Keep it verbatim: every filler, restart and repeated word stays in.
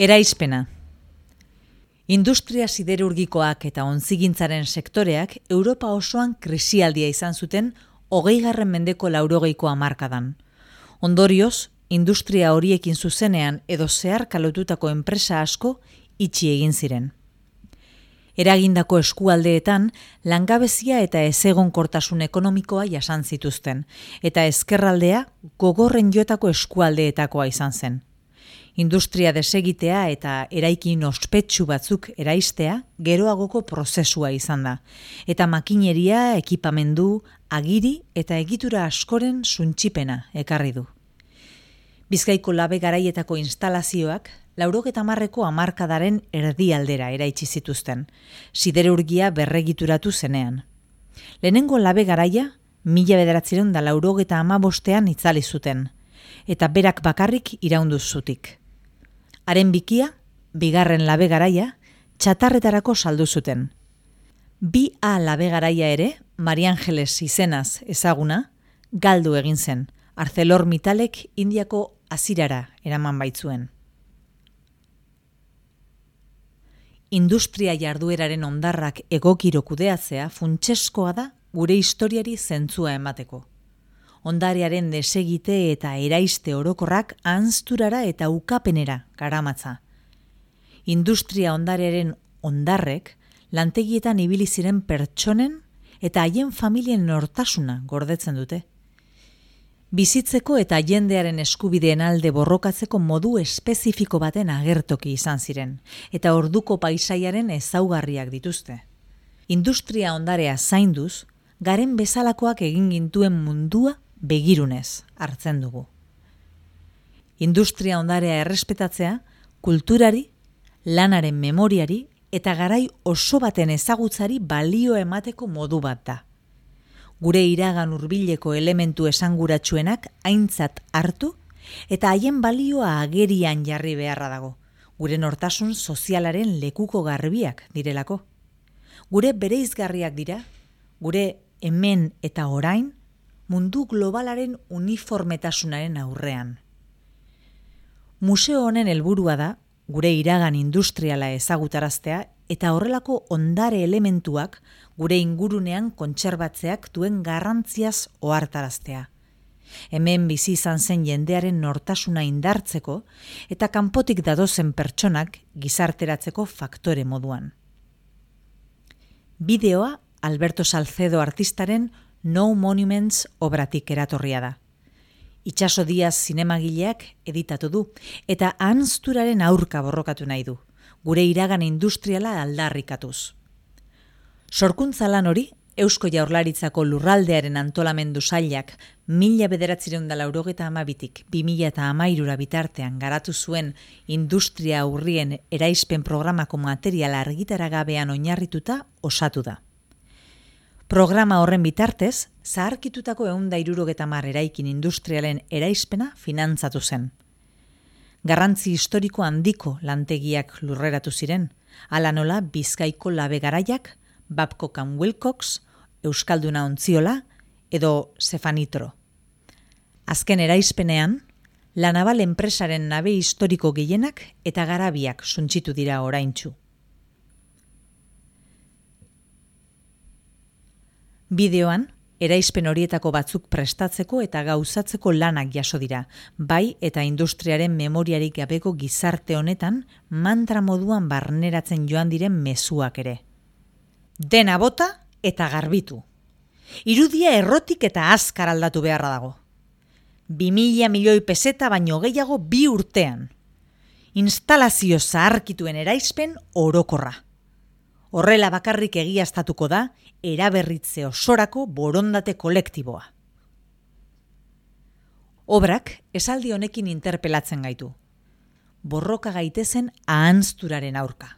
Eraizpena. Industria siderurgikoak eta ontzigintzaren sektoreak Europa osoan krisialdia izan zuten hogeigarren mendeko laurogeiko hamarkadan. Ondorioz, industria horiekin zuzenean edo zeharka lotutako enpresa asko itxi egin ziren. Eragindako eskualdeetan langabezia eta ezegonkortasun ekonomikoa jasan zituzten, eta ezkerraldea gogorren jotako eskualdeetakoa izan zen. Industria desegitea eta eraikin ospetsu batzuk eraistea geroagoko prozesua izan da, eta makineria, ekipamendu, agiri eta egitura askoren suntsipena ekarri du. Bizkaiko labe garaietako instalazioak laurogeta hamarreko hamarkadaren erdialdera eraitsi zituzten, siderurgia berregituratu zenean. Lehenengo labe garaia mila bederatziehun eta laurogeta hamabostean itzali zuten, eta berak bakarrik iraundu zutik. Haren bikia, bigarren labe garaia, txatarretarako saldu zuten. Bi A labe garaia ere, Mari Angeles izenaz ezaguna, galdu egin zen, ArcelorMittalek Indiako azirara eraman baitzuen. Industria jardueraren hondarrak egokiro kudeatzea funtseskoa da gure historiari zentzua emateko. Ondarearen desegite eta eraiste orokorrak ahanzturara eta ukapenera garamatza. Industria ondarearen hondarrek lantegietan ibili ziren pertsonen eta haien familien nortasuna gordetzen dute. Bizitzeko eta jendearen eskubideen alde borrokatzeko modu espezifiko baten agertoki izan ziren, eta orduko paisaiaren ezaugarriak dituzte. Industria ondarea zainduz, garen bezalakoak egin gintuen mundua begirunez hartzen dugu. Industria ondarea errespetatzea, kulturari, lanaren memoriari eta garai oso baten ezagutzari balio emateko modu bat da. Gure iragan hurbileko elementu esanguratsuenak aintzat hartu eta haien balioa agerian jarri beharra dago, gure nortasun sozialaren lekuko garbiak direlako. Gure bereizgarriak dira, gure hemen eta orain, mundu globalaren uniformetasunaren aurrean. Museo honen helburua da, gure iragan industriala ezagutaraztea eta horrelako ondare elementuak gure ingurunean kontserbatzeak duen garrantziaz ohartaraztea. Hemen bizi izan zen jendearen nortasuna indartzeko eta kanpotik datozen pertsonak gizarteratzeko faktore moduan. Bideoa Alberto Salcedo artistaren No Monuments obratik eratorria da. Itxaso Diaz zinemagileak editatu du eta ahanzturaren aurka borrokatu nahi du, gure iragan industriala aldarrikatuz. Sorkuntza lan hori, Eusko Jaurlaritzako lurraldearen antolamendu sailak mila bederatziehun eta laurogeta hamabitik bi mila hamairura bitartean garatu zuen industria aurrien eraispen programako materiala argitaragabean oinarrituta osatu da. Programa horren bitartez, zaharkitutako ehun eta hirurogeta hamar eraikin industrialen eraispena finantzatu zen. Garrantzi historiko handiko lantegiak lurreratu ziren, hala nola Bizkaiko labe garaiak, Babcock and Wilcox, Euskalduna Ontziola edo Zefanitro. Azken eraispenean, La Naval enpresaren nabe historiko gehienak eta garabiak suntsitu dira oraintsu. Bideoan, eraispen horietako batzuk prestatzeko eta gauzatzeko lanak jaso dira, bai eta industriaren memoriarik gabeko gizarte honetan mantra moduan barneratzen joan diren mezuak ere. Dena bota eta garbitu. Irudia errotik eta azkar aldatu beharra dago. Bi mila milioi peseta baino gehiago bi urtean. Instalazio zaharkituen eraispen orokorra. Horrela bakarrik egiaztatuko da eraberritze osorako borondate kolektiboa. Obrak esaldi honekin interpelatzen gaitu. Borroka gaitezen ahanzturaren aurka.